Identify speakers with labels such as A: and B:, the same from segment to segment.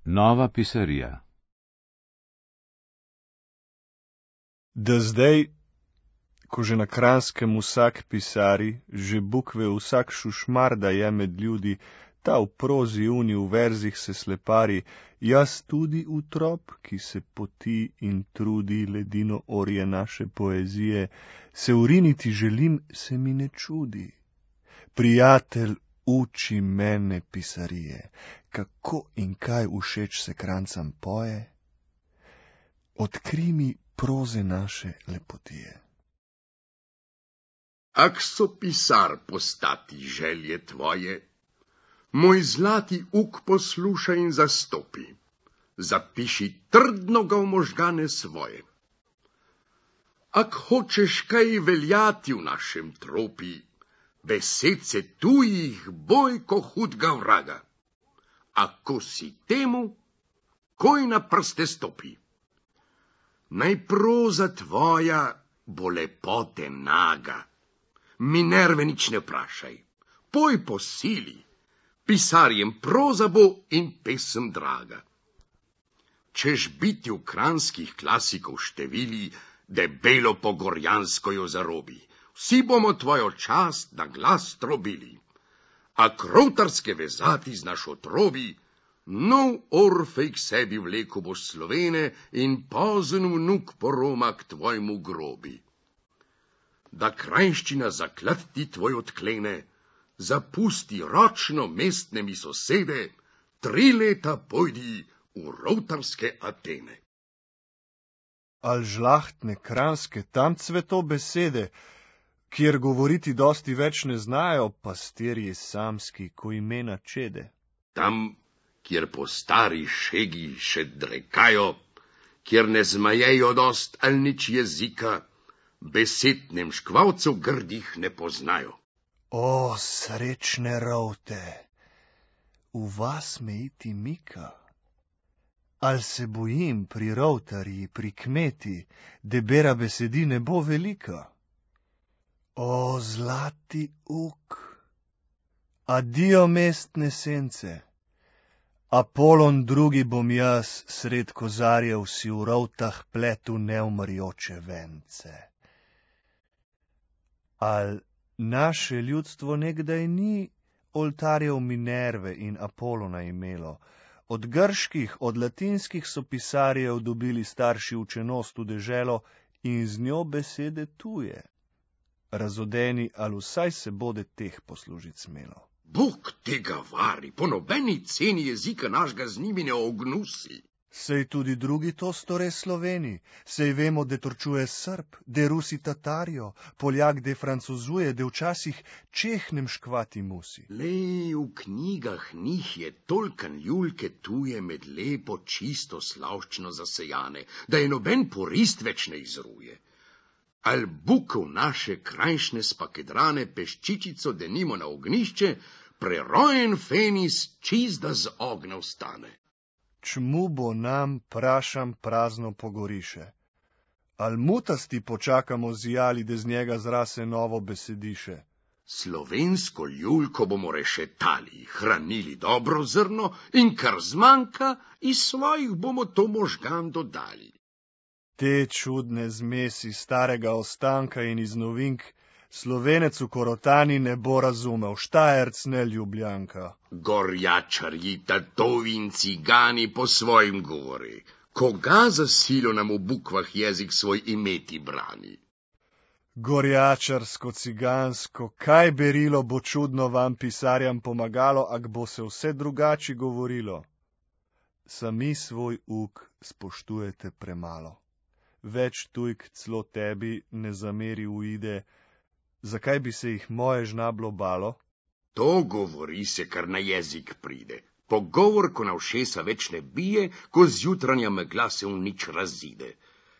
A: Nova pisarija.
B: Da zdaj, ko že na Kranjskem vsak pisari, že bukve vsak šušmarda je med ljudi, ta v prozi uni v verzih se slepari, jaz tudi utrop, ki se poti in trudi ledino orje naše poezije, se uriniti želim, se mi ne čudi. Prijatelj, uči mene pisarije, kako in kaj všeč se Krancam poje. Odkri mi proze naše lepotije.
C: Ak so pisar postati želje tvoje, moj zlati uk poslušaj in zastopi, zapiši trdno ga v možgane svoje. Ak hočeš kaj veljati v našem tropi, besedce tujih boj ko hudga vraga. Ako si temu, koj na prste stopi. Naj proza tvoja bo lepote naga, Minerve nič ne vprašaj, poj po sili, pisarjem proza bo in pesem draga. Češ biti v kranjskih klasikov števili, debelo po gorjansko jo zarobi, vsi bomo tvojo čast na glas trobili. A krovtarske vezati znaš otrobi, nov Orfej k sebi vleku bo Slovene in pozen vnuk poroma k tvojmu grobi. Da krajščina zaklad ti tvoj odklene, zapusti ročno mestne mi sosede, 3 leta pojdi v rovtarske Atene.
B: Al žlahtne kranjske tam cveto besede, kjer govoriti dosti več ne znajo, pastirji samski, ko imena čede.
C: Tam, kjer po stari šegi še drekajo, kjer ne zmajejo dost al nič jezika, besed nemškvalcev grdih ne poznajo.
B: O, srečne rovte, v vas me iti mika. Al se bojim pri rovtarji, pri kmeti, debera besedi ne bo velika. O, zlati uk, adijo mestne sence, Apolon drugi bom jaz, sred kozarjev si v rovtah pletu neumrjoče vence. Al naše ljudstvo nekdaj ni oltarjev Minerve in Apolona imelo. Od grških, od latinskih so pisarjev dobili starši učenost v deželo in z njo besede tuje. Razodeni, ali vsaj se bode teh poslužit smelo.
C: Bog tega vari, po nobeni ceni jezika našega z njimi ne ognusi.
B: Sej tudi drugi to store Sloveni, sej vemo, de torčuje Srb, de Rusi Tatarijo, Poljak de francozuje, de včasih Čeh nemškvati musi.
C: Lej, v knjigah njih je tolkan ljulke tuje med lepo čisto slavščino zasejane, da je noben porist več ne izruje. Al bukov naše krajšne spakedrane peščičico denimo na ognišče, prerojen fenis čizda z ognja vstane.
B: Čmu bo nam, prašam, prazno pogoriše? Al mutasti počakamo zijali, da z njega zrase novo besediše?
C: Slovensko ljulko bomo rešetali, hranili dobro zrno in kar zmanjka, iz svojih bomo to možgan dodali.
B: Te čudne zmesi starega ostanka in iz novink Slovenec v Korotani ne bo razumel, Štajerc ne Ljubljanka.
C: Gorjačarji, tatovi in cigani po svojim govori, koga za silo nam v bukvah jezik svoj imeti brani?
B: Gorjačarsko, cigansko, kaj berilo bo čudno vam pisarjam pomagalo, ak bo se vse drugače govorilo? Sami svoj uk spoštujete premalo. Več tujk celo tebi ne zameri uide, zakaj bi se jih moje žnablo balo?
C: To govori se, kar na jezik pride. Pogovor, ko na ušesa več ne bije, ko zjutranja megla se v nič razide.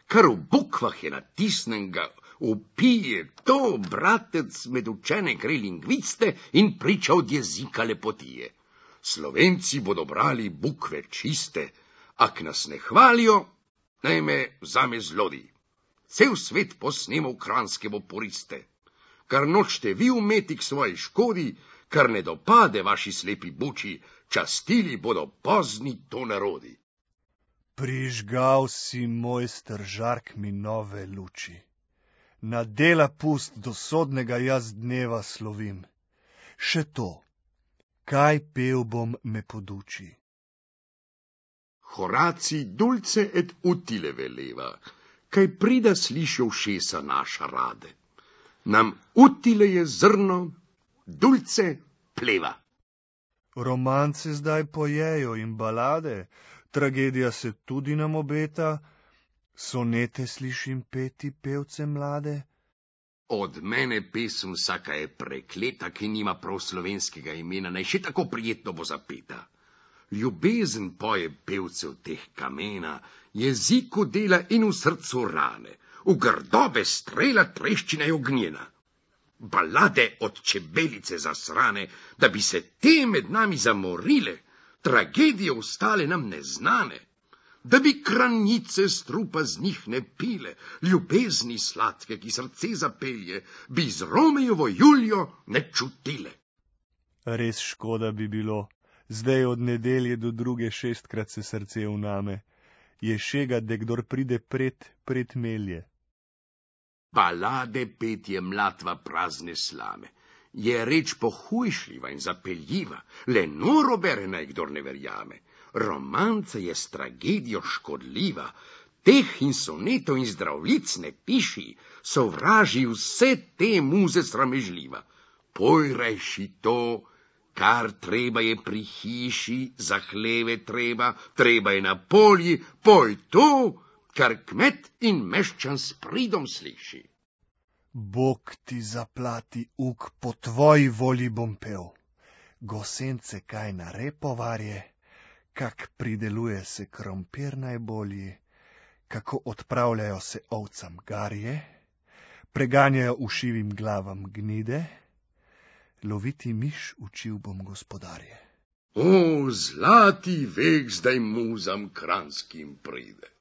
C: Kar v bukvah je natisnenga, upije to, bratec, med učene gre lingviste in priča od jezika lepotije. Slovenci bodo brali bukve čiste, ak nas ne hvalijo, naj me vzame zlodi. Cel svet posnemo v kranjske bo poriste. Kar nočte vi umeti k svoji škodi, kar ne dopade vaši slepi buči, častili bodo pozni to narodi.
B: Prižgal si, mojster, žark mi nove luči. Na dela pust do sodnega jaz dneva slovim. Še to, kaj pel bom, me poduči.
C: Horaci dulce et utile veleva, kaj prida sliši ušesa naša rade. Nam utile je zrno, dulce pleva.
B: Romance zdaj pojejo in balade, tragedija se tudi nam obeta, sonete slišim peti pevce mlade.
C: Od mene pesem vsaka je prekleta, ki nima prav slovenskega imena, naj še tako prijetno bo zapeta. Ljubezen poje pevcev teh kamena, jeziku dela in v srcu rane, v grdobe strela treščina je ognjena. Balade od čebelice zasrane, da bi se te med nami zamorile, tragedije ostale nam neznane, da bi kranice strupa z njih ne pile, ljubezni sladke, ki srce zapelje, bi z Romejevo Juljo ne čutile.
B: Res škoda bi bilo, zdaj od nedelje do druge 6-krat se srce vname, je šega, da kdor pride pred melje.
C: Balade petje mlatva prazne slame, je reč pohujšljiva in zapeljiva, le noro bere naj kdor ne verjame. Romanca je s tragedijo škodljiva, teh in sonetov in zdravlic ne piši, sovraži vse te muze sramežljiva. Poj reši to, kar treba je pri hiši, za hleve treba je na polji, poj to, kar kmet in meščan s pridom sliši.
B: Bog ti zaplati, uk, po tvoji volji bom pel. Gosence kaj na repovarje, kak prideluje se krompir najbolji, kako odpravljajo se ovcam garje, preganjajo ušivim glavam gnide, loviti miš učil bom gospodarje.
C: O, zlati vek zdaj muzam kranskim pride.